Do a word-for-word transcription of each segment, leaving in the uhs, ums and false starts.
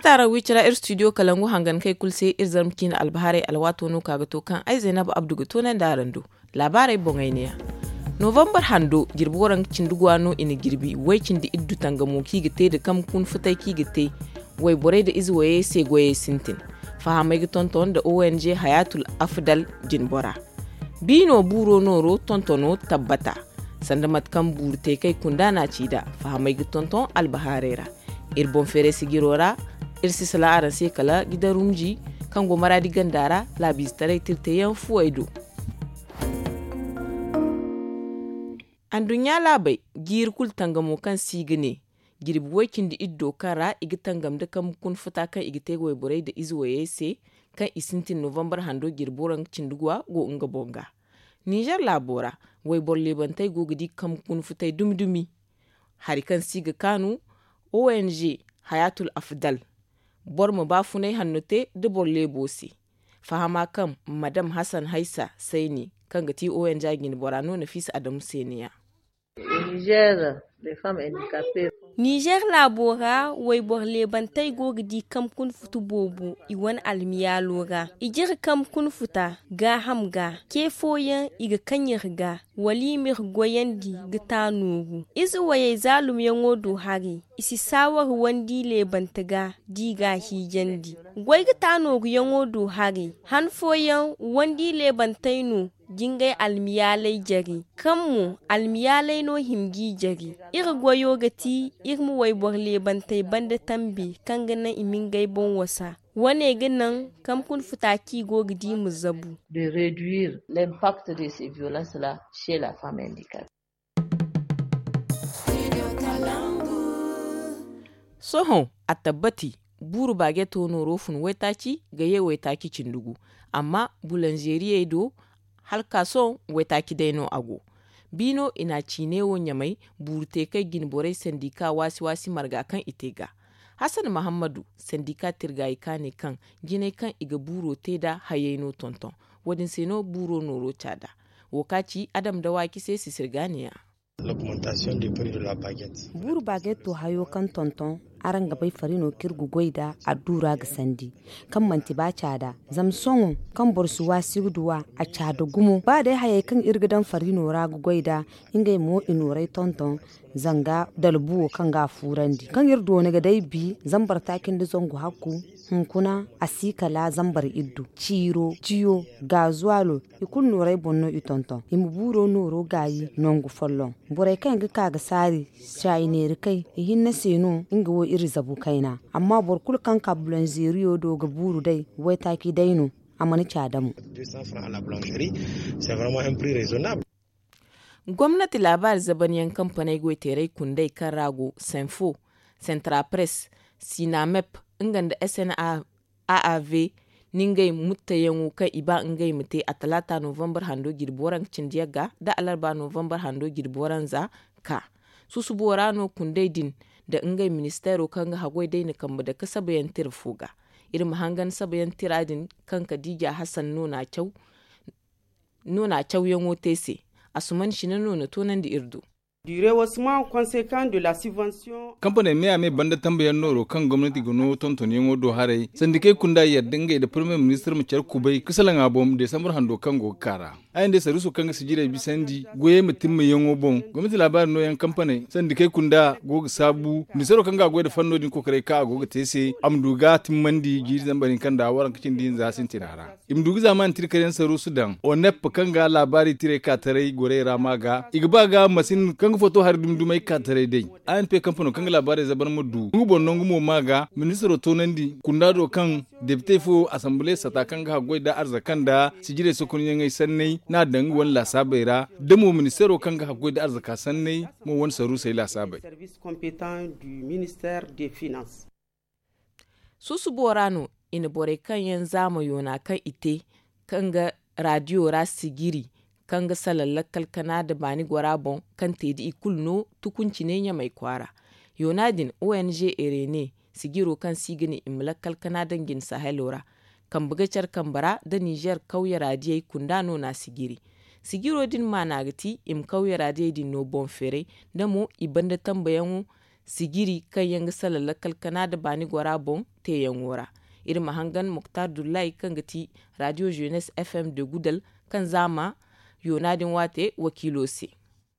Taktara wicira ir studio kalangu hangan kai kul se ir zarma ciina albahaarey alwaato no ka ga to kaŋ ay zaynab abdu ga toonandi araŋ do. Laabaarey boŋey neeya. Novambar hando jirbi waranka cindi guwa no i na jirbi way cindi iddu tangamo kaŋ i ga te nda kambe kuna futay kaŋ i ga te wayborey nda ize wayey se goyey sintin. Fahamey ga tonton nda ong hayatul afdal jinbora. Biino buuro nooro tontono tabbata sanda mate kaŋ buuru te kay kunda no a ci nd'a. Fahamey ga tonton albahaarey ra. Iri boŋ feeray sijiro ra iri si salaŋ araŋ se kala gidan rumji kaŋ go maraadi ganda ra laabiizetaray tirteyaŋ fuwey do. Anduɲɲa laabey jiiri kulu tangamo kaŋ se i ga ne jirbi way-cindi-iddo kaŋ ra i ga tangam nda kambe kuna futa kaŋ i ga te wayborey nda ize wayey se kaŋ i sintin novambar hando jirbi waranka cindi guwa go nga boŋ ga. Ninzeer laabo ra wayboro leebantey go ga di kambe kuna futay dumi-dumi. Hari kaŋ se i ga kaanu ong hayatul afdal boro ma baafunay hanno te nda boro leebo se. Fahama kaŋ madam hasan haysa sayni kaŋ ga ti ong jinbora no nafiisa adamu se neeya. Nizeer laabo ra wayboro leebantey go ga di kambe kuna futu boobo i wane almiyaalo ra. I jire kambe kuna futa gaaham ga ce fooyaŋ i ga kaŋ iri ga wala i m'iri goyandi ga taanooru ize wayey zaalumyaŋo do haray. I si saawari wandi leebante ga da i g'a hiijandi. Goy ga taanooruyaŋo do haray han fooyaŋ wandi leebantey no jingay almiyaaley jare kaŋ mo almiyaaley no hima g'i jare. Iri goyo ga ti iri ma wayboro leebantey banda tambe kaŋ ga naŋ i ma ngey boŋ wasa. Wane ga naŋ kambe kuna futa kaŋ i go ga di ma zabu. Sohõ a tabbati buuru baajeto nooro fun waytaaci ga ye waytaaci cindi gu. Amma bulanzeeriyey do hala ka sohõ waytaaci day no a go. Biino i na a ciine wo ɲamay buuru te kay jinborey sandika waasi-waasi marga kaŋ i te ga. Hasan mahammadu sandika tirgaayi ka ne kaŋ jinay kaŋ i ga buuro te nd'a hayey no tonton. Wo-din se no buuro nooro caada. Wo ka ci adam nda waaci se sisir ga neeya. Buuru baajeto hayo kaŋ tonton araŋ ga bay fari no kaŋ iri ga goy nd'a adduura ga sandi kaŋ manti ba caada. Zama sohõ kaŋ boro si waasi ga duw'a a caada gumo ba day hayey kaŋ iri ga daŋ fari no ra ga goy nd'a. Ngey mo i nooray tonton zanga dalbu wo kaŋ ga a fuurandi kaŋ iri doona ga day bi zambar taaci nda zangu hakku. Hunkuna a si kala zambar iddu ciiro ciyo gaazuwaalo i kulu nooray boŋ no i tonton i ma buuro nooro gaayi nangu folloŋ. Borey kaŋ ga ka ga saari caayi neeri kay i hinne se no nga wo iri zabu kayna. Amma boro kulu kaŋ ka bulanzeeriyo do ga buuru day waytaaci day no. A mana caada mo. Gomnati laabaari zabanyaŋ kampaney goyteeray kundey kaŋ ra go senfo, sentra press, sinamep, nga nda sna aav, ni ngey muttayaŋo kaŋ i ba ngey ma te a talaata novambar hando jirbi waranka cindi yagga nda alarba novambar hando jirbi waranza ka. Susubo ra no kundey din nda ngey ministeero kaŋ ga haggoy day na kambe dake sabayaŋ tira fo ga. Iri ma hangan sabayaŋ tira din kaŋ kadiija hasan no na a caw no na cawyaŋo te se. Asuman sina no na toonandi iri do. Kampaney me a me banda tambayaŋ nooro kaŋ gomnati ga no tontonyaŋo do haray sandikey kunda yadda ngey nda parmiye ministir ma care kubay ka salaŋ a boŋ desambar hando kaŋ go ga ka ra. Ay nda saruuso kaŋ ga sijirey bisandi goyey ma timmayaŋo boŋ gomnati laabaari nooyaŋ kampaney sandikey kunda go ga saabu ministiro kaŋ ga a goy nda fanno din kokoray kaŋ a go ga te se a ma du ga timmandi jiiri zambar hinka nda waranka cindi hinza sintina ra. I ma du ga zaamaani tirkaryaŋ saruusu daŋ onep kaŋ ga laabaari tirey ka taray gorey ra ma ga i ga ba ga masin kaŋ ga foto hari dumi-dumey ka taray day. Anp kampano kaŋ ga laabaarey zabar ma du nga boŋ nangu mo ma ga ministiro toonandi kunda do kaŋ depite fo asambile sata kaŋ ga haggoy nda arzaka nda sijirey sokonyaŋey sanney n'a daŋ nga wane laasaabey ra da mo ministiro kaŋ ga haggoy nda arzaka sanney mo wane saruusey laasaabey. Susubo ra no i na borey kaŋ yaŋ zaama yoona kaŋ i te kaŋ ga raadiyo ra sijiri kaŋ ga salaŋ lakkal kana nda baani gora boŋ kaŋ te da i kulu no tukunciney ɲamay kwaara. Yoona din ong ere ne sijiro kaŋ se i ga ne i ma lakkal kana daŋ jine sahelo ra kambe ga care kambe ra nda ninzeer kawye raadiyey kunda no na sijiri. Sijiro din maana ga ti i ma kawye raadiyey din no boŋ feeray nda mo i banda tambayaŋo sijiri kaŋ yaŋ ga salaŋ lakkal kana nda baani gora boŋ teeyaŋo ra. Iri ma hangan moktar dullahi kaŋ ga ti radio jeunesse f m de gudal, kaŋ zaama yoona din waate wakiilo se.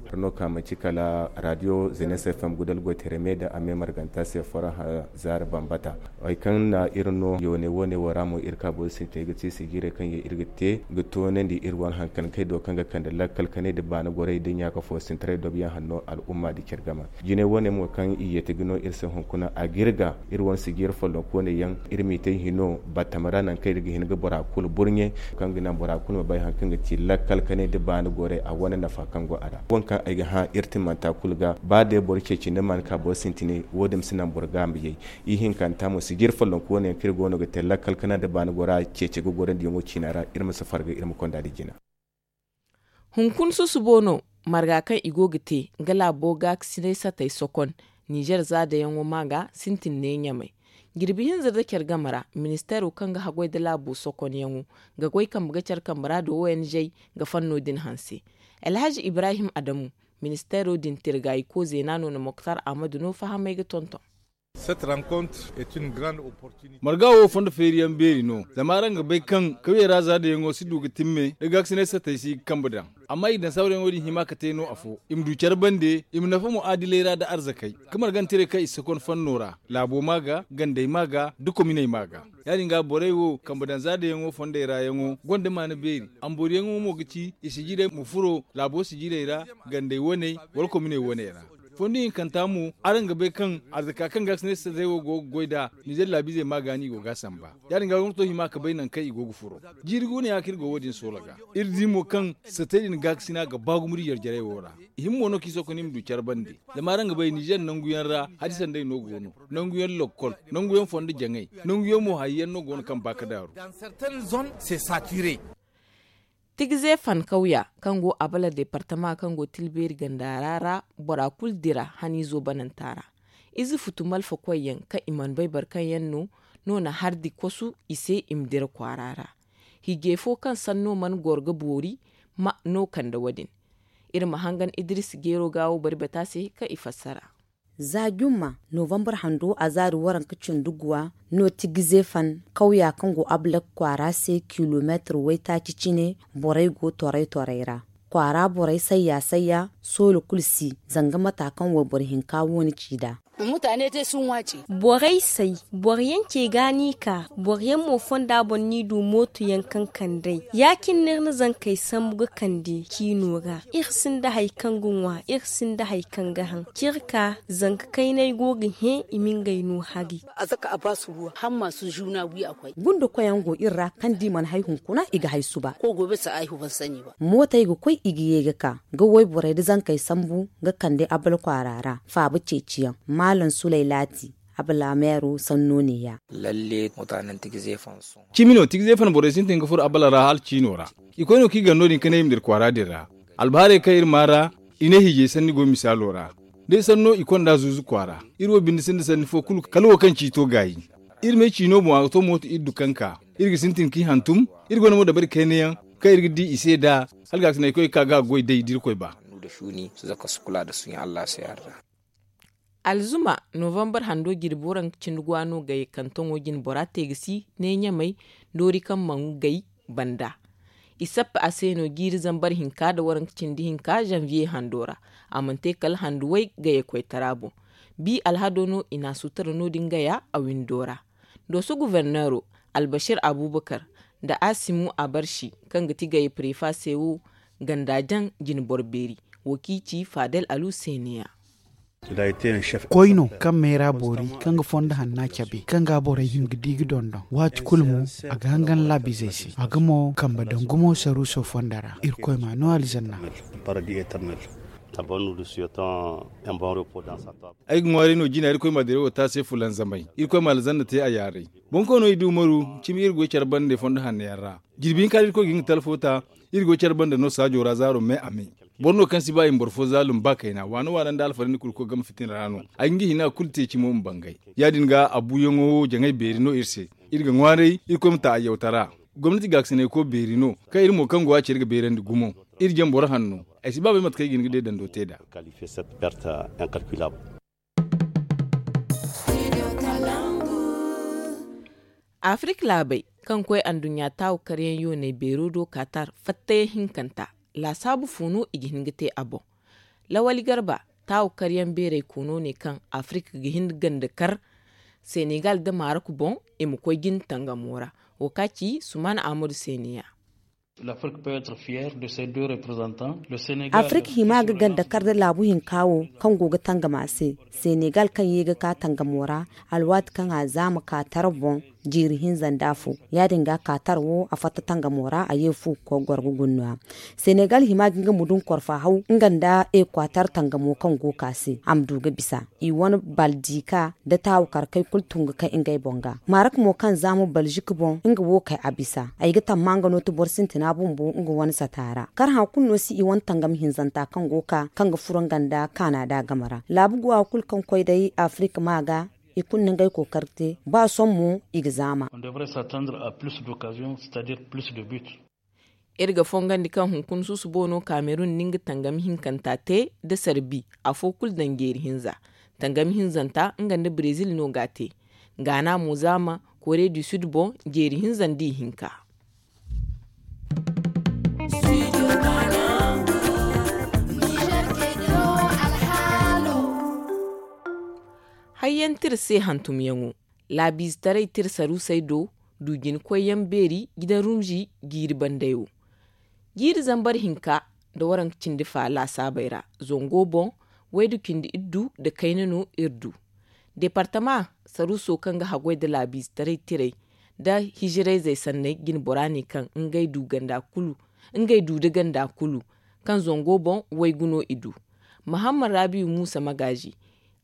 Iri no ka manci kala radio jeunesse f m gudal goy tere me nda a me marganta se faraha zaari bambata. Hari kaŋ na iri no yoone wo-ne wo ra mo iri ka boro sintinay ga te sijirey kaŋ yaŋ iri ga te ga toonandi iri wane hankan kay do kaŋ ga kande lakkal kanay nda baani gorey nda ɲaaka fo sintiray dobiyaŋ hanno al'umma nda care game. Jinay wo-ne mo kaŋ i yeeti ga no iri se hunkuna a ga iri ga iri wane sijiri follonkooney yaŋ iri m'i te hino battam ra nangu kaŋ iri ga hin ga bora kulu burɲe kaŋ ga naŋ bora kulu ma bay hari kaŋ ga ti lakkal kanay nda baani gorey a wane nafa kaŋ go a ra. Waŋ kaŋ ay ga hã iri timmanta kulu ga ba day boro ceeci ni mana ka boro sintinay wo-din ma si naŋ boro ga a ma yay. Ihinkanta mo sijiri follonkooney yaŋ kaŋ iri go no ga te lakkal kana nda baani gora ceeci ga gorandiyaŋo ciina ra iri ma si farga iri ma konda nda jina. Hunkuna susubo no marga kaŋ i go ga te nga laabo gaakasinay satey sokon nizer zaadayaŋo ma ga sintin ne ɲamay. Jirbi hinza nda care game ra ministeero kaŋ ga haggoy nda laabo sokonyaŋo ga goy kambe ga care kambe ra nda o n g ga fanno din hanse. Alhaji ibrahim adamu, ministeero din tirgayko zeena no na moktar ahmadu no fahamay ga tonton. Marga wo fondo feeriyaŋ beeri no zama araŋ ga bay kaŋ kawyey ra zaadayaŋo si du ga timme da gaakasinay satey si ga kambe daŋ. Amma i daŋ sawrayaŋo din hima ka te no afo i ma du care bande i ma nafa mu'aadiley ra nda arzakey, ka margantiray kaŋ i si kon fanno ra, laabo ma ga, gandey ma ga, da kominey ma ga. Ya- din ga borey wo kambe daŋ zaadayaŋo fondey ra yaŋo gonda maana beeri. Amboriyaŋo mo ga ci i sijirey ma furo laabo sijirey ra, gandey waney wala kominey waney ra. Fondo hinkanta mo, araŋ ga bay kaŋ arzaka kaŋ gaakasinay satey wo go ga goy nd'a nizer laabiizey ma ga no i go ga a samba. Ya- din ga gomnato hima ka bay nangu kaŋ i go ga furo. Jiiri guuna ya kaŋ iri go wo- din soola ga. Iri di mo kaŋ satey din gaakasina ga ba gumo nda jarjarey wo ra. I hima mo no kaŋ i sokon i ma du care bande. Zama araŋ ga bay nizer nanguyaŋ ra hadisanday no go no, nanguyaŋ lokkol, nanguyaŋ fondo jaŋay, nanguyaŋ mo hari yaŋ no go no kaŋ ba ga daaru. Tigize fan kawya kaŋ go abala departama kaŋ go tilbeeri ganda ra ra, bora kulu dira haniizo bananta ra. Ize futu malfa koyyaŋ kaŋ i mana bay boro kaŋ yaŋ no no na hardi kosu i se i ma dira kwaara ra. Hijey fo kaŋ sanno mana goro ga boori ma no kande wo- din. Iri ma hangan idris jeero ga wo bari bata se kaŋ i fassara. Za jumma novambar hando a zaari waranka cindi guwa no tigize fan kawya kaŋ go ablak kwaara se kilomeetir waytaaci cine borey go toray toray ra. Kwaara borey sayya sayya soola kulu si zanga mata kaŋ wayboro hinka wo- ni ci nd'a. Borey say, boro yaŋ ce ga no i ka, boro yaŋ mo fonda boŋ no i du mooto yaŋ kaŋ kand'ey. Ya- cine no iri na zankey sambu ga kande ciino ra. Iri sinda hari kaŋ ga ŋwa, iri sinda hari kaŋ ga haŋ. Ciri ka zanka kaynay go ga hẽ i ma ngey no hari. Gundo koyaŋ go iri ra kaŋ da i mana hay hunkuna i ga hay suba. Mootey ga koy i ga ye ga ka ga wayborey nda zankey sambu ga kande abal kwaara ra faaba ceeciyaŋ. Maalam sulay laati abal ameero sanno neeya. Cimi no tigize fan borey sintin ga furo abala ra hala ciino ra. I koy no kaŋ i gar no- din ka ne i ma dira kwaara din ra. Albaharey kaŋ iri maa ra i ne hiijay sanni go misaalo ra. Day sanno i konda zuuzu kwaara. Iri wo binde sinda sanni fo kulu kala wo kaŋ ciito gaayi. Iri me ciino boŋ a ga to mooto iri du kaŋ ka. Iri ga sintin k'i hantum. Iri gonda mo dabari kayna yaŋ kaŋ iri ga di i se nd'a. Hala gaasinay koy ga ka ga a goy day da irkoy ba. Alzuma novambar hando jirbi waranka cindi gwa no gay kantoŋo jine bora te ga si ne ɲamey doori kaŋ mana gay banda. I sappa a se no jiiri zambar hinka nda waranka cindi hinka zanviye hando ra. A mana te kala handu way gayey koytara boŋ. Bi alhado no i na a sutura no- din gaya a windo ra. Dooso guverneero albashir abubakar nda asimu abarshi kaŋ ga ti gayey prefa se wo ganda jaŋ jine boro beeri. Wo kaŋ i ci fadel alu se neeya. Koy no kaŋ meera boori kaŋ ga fondo hanna cabe kaŋ ga borey hima ga di ga dondon waati kulu mo. A ga hangan laabizey se a ga mo kambe daŋ gumo saruuso fondo ra irkoy ma no alzanna. Ay ga ŋwaaray no jina irkoy ma dirawo te a se fulanzamay. Irkoy ma alzanna te a yaaray. Boŋ kaŋ no i du maru cimi iri goy care bande fondo hanno yaŋ ra. Jirbi hinka da irkoy ga hin ga talfo ta iri goy care bande no saajo ra zaaro me a me. Boro no kaŋ si ba i ma boro fo zaalum ba kayna waano waano nda alfarandi kulu ga koy game fitina ra no. Ay ga nga hina kulu te cimo ma bangay. Ya- din ga a buuyaŋo wo jaŋay beeri no iri se. Iri ga ŋwaaray irkoy ma ta a yawtara. Gomnati gaakasinayko beeri no kaŋ iri mo kaŋ go a ce iri ga beerandi gumo. Iri jaŋ boro hanno. Ay si ba bay mate kaŋ ay ga hin ga day dando te nd'a. Kalife set perte incalculable. Afirik laabey kaŋ koy anduɲɲa taawu karyaŋ yooney beero do kaatar fattayaŋ hinkanta, laasaabu fo no i ga hin ga te a boŋ? Lawali garba, taawu karyaŋ beeray koono ne kaŋ afirik ga hin ga ganda kar senegal nda marok boŋ, i ma koy jin tangamo ra. Wo ka ci suman ahmadu seneya. Afirik hima ga ganda kar da laabu hinka wo kaŋ go ga tangama se, senegal kaŋ ye ga ka tangamo ra, alwaati kaŋ a zaama ka tara boŋ, jiiri hinza nda afo. Ya- din ga kaatar wo a fatta tangamo ra, a ye fu ga koy goro ga guna no- ya. Senegal hima ga nga ma du nga korfa haw nga nda ekwatar tangamo kaŋ go ga ka se, a ma du ga bisa. I wane baldika nda taawu karkey kulu tun ga kay ngey boŋ ga. Marok mo kaŋ zaama balzik boŋ, nga wo kay a bisa. Ay ga tamma nga no ti boro sintina bumbo nga wane sata ra. Kar hã kulu no si i wane tangam hinzanta kaŋ go ga ka kaŋ ga furo nga nda kaana da game ra. Laabu guwa kulu kaŋ koy day afirik ma ga, i kulu na ngey kookari te, ba sohõ mo i ga zaama. Iri ga fongandi kaŋ hunkuna susubo no kamerun na nga tangami hinkanta te nda sarbi afo kulu daŋ jeeri hinza. Tangami hinzanta nga nda brezil no ga a te. Gaana mo zaama kore du sud boŋ jeeri hinza nda ihinka. Hayyaŋ tira se hantumyaŋo, laabiizetaray tira saruusey do, du jina koyyaŋ beeri gidan rumzi jiiri bandayo. Jiiri zambar hinka nda waranka cindi fa laasaabey ra, zango boŋ, waydu cindi iddu nda kayna no iri du. Deepartama saruuso kaŋ ga haggoy nda laabiizetaray tirey nda hijirayzey sanney jina bora ne kaŋ ngey du ganda kulu, ngey du da ganda kulu kaŋ zango boŋ waygu no i du. Mahamma rabiyu muusa magaazi,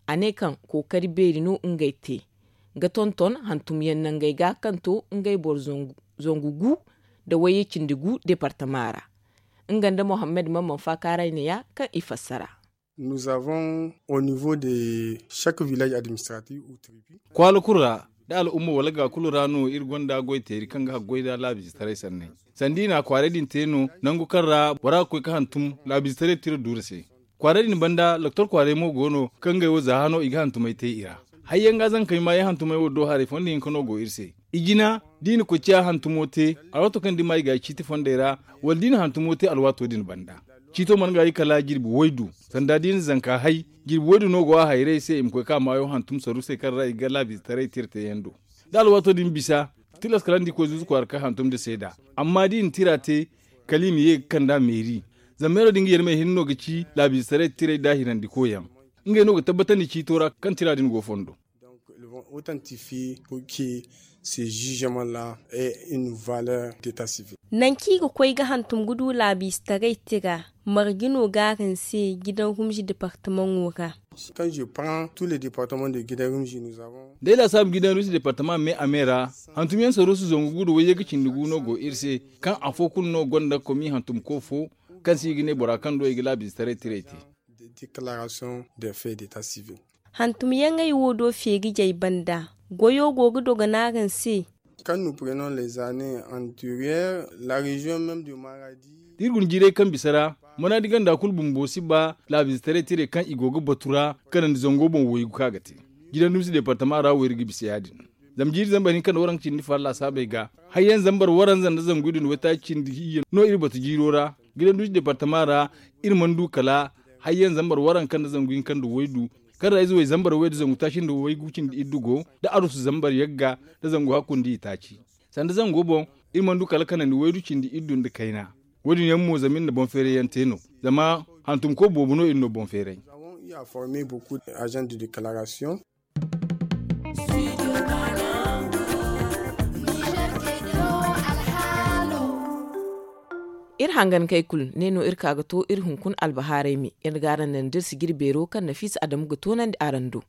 a ne kaŋ kookari beeri no ngey te ga tonton hantumyaŋ nangey ga kaŋ to ngey boro zangu gu nda wayye cindi gu deepartama ra. Nga nda mohammed mamman faakaaray ne ya kaŋ i fassara. Nous avons au niveau de chaque village administratif ou tribu. Kwaala kulu ra da al'umma wala ga kulu ra no iri gonda goy teeri kaŋ ga haggoy da laabiizetaray sanney. Sanda i na a kwaaray din te no nangu kaŋ ra bora ga koy ga hantum laabiizetaray tira duura se. Kwaaray din banda doktor kwaaray mo go no kaŋ ngey wo za hano i ga hantumay te i ra. Hayyaŋ ga zankey maayaŋ hantumay wo do haray fondo hinka no go iri se. I jina da i na koy ciya hantumo te alwaato kaŋ da i ma i ga i ciiti fondey ra, wala da i na hantumo te alwaato din banda. Ciito mana ga i kala jirbi waydu. Sanda da i na zanka hay, jirbi waydu no go a hayray se i ma koy ga maayo hantum saruusey kaŋ ra i ga laabiizetaray tira teeyaŋ do. Da alwaato din bisa, tilas kala ni di koy zuuzu kwaara kaŋ hantum nda seeda. Amma da i na tira te, kala i ma ye ga kand'a meeri. Zama meero din ga yar me hinne no ga ci laabiizetaray tirey da hirandikooyaŋ. Ngey no ga tabbatandi ciito ra kaŋ tira din go fondo. Donc ils vont authentifier pour que ces jugements là aient une valeur d'état civil. Nanci i ga koy ga hantum ga du laabiizetaray tira, marje no ga araŋ se gidan rumzi deepartamaŋo ra? Quand je prends tous les départements de gidan rumzi nous avons. Day laasaabu gidan rumzi deepartama me a me ra, hantumyaŋ saruusu zangu gu nda wayye ga cindi gu no go iri se, kaŋ afo kulu no gonda komi hantumko fo kaŋ se i ga ne bora kaŋ do i ga laabiizetaray tirey te. Déclaration des faits d'état civil. Hantumyaŋey wo do feerijey banda, goyo go ga dogo no araŋ se? Quand nous prenons les années antérieures, la région même de Maradi. Da iri guna jiirey kaŋ bisa ra, manaadi ganda kulu bumbo si ba laabiizetaray tirey kaŋ i go ga batu ra kanandi zango boŋ waygu kaŋ a ga te. Gidan dumsi deepartama ra wo iri ga bisa ya- din. Zama jiiri zambar hinka nda waranka cindi far laasaabey ga, hayyaŋ zambar waranza nda zangu iddu nda waytaaci cindi iyye no iri batu jiiro ra. Gidan dumsi deepartama ra, iri mana du kala hayyaŋ zambar waranka nda zangu hinka nda waydu, kaŋ ra ize way zambar way nda zangu taaci nda waygu cindi iddu go, da arusu zambar yagga nda zangu hakku nda itaaci. Sanda zango boŋ, iri mana du kala kanandi waydu cindi iddu nda kayna. Wo- din yaŋ mo zama iri na boŋ feeray yaŋ te no, zama hantumko boobo no iri no boŋ feeray. Nous avons eu à former beaucoup d'agents de déclaration. Iri hangankey kulu ne no iri ka ga to iri hunkuna albahaarey me, iri ga araŋ naŋ da iri sijiri beero kaŋ nafiisa adamu ga toonandi araŋ do.